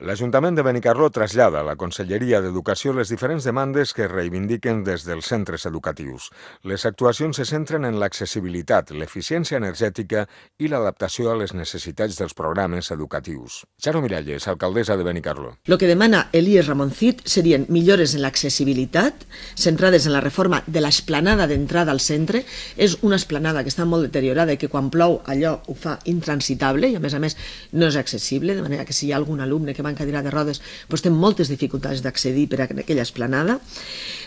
L'Ajuntament de Benicarló trasllada a la Conselleria d'Educació les diferents demandes que reivindiquen des dels centres educatius. Les actuacions se centren en l'accessibilitat, l'eficiència energètica i l'adaptació a les necessitats dels programes educatius. Charo Miralles, alcaldessa de Benicarló. Lo que demana Elías Ramoncid serien millores en l'accessibilitat, centrades en la reforma de l'esplanada d'entrada al centre. És una esplanada que està molt deteriorada i que quan plou allò ho fa intransitable i a més no és accessible, de manera que si hi ha algun alumne que va en cadira de rodes doncs té moltes dificultats d'accedir per a aquella esplanada.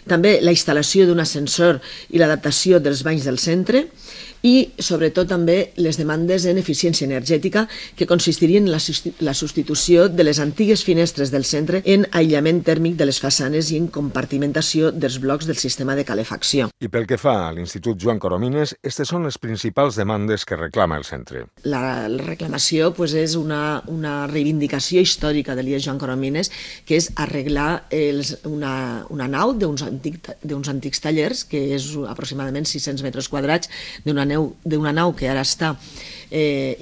També la instal·lació d'un ascensor i l'adaptació dels banys del centre i sobretot també les demandes en eficiència energètica que consistirien en la substitució de les antigues finestres del centre en aïllament tèrmic de les façanes i en compartimentació dels blocs del sistema de calefacció. I pel que fa a l'Institut Joan Coromines, aquestes són les principals demandes que reclama el centre. La reclamació és una reivindicació històrica de l'IES Joan Coromines, que és arreglar una nau d'uns antics tallers, que és aproximadament 600 metres quadrats, d'una nau que ara està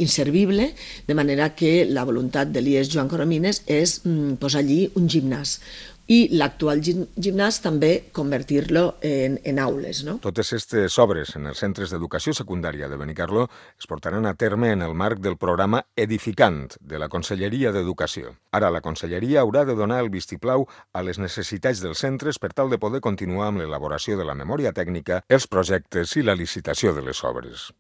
inservible, de manera que la voluntat de l'IES Joan Coromines és posar allí un gimnàs. I l'actual gimnàs també convertir-lo en aules. Totes aquestes obres en els centres d'educació secundària de Benicarló es portaran a terme en el marc del programa Edificant de la Conselleria d'Educació. Ara la Conselleria haurà de donar el vistiplau a les necessitats dels centres per tal de poder continuar amb l'elaboració de la memòria tècnica, els projectes i la licitació de les obres.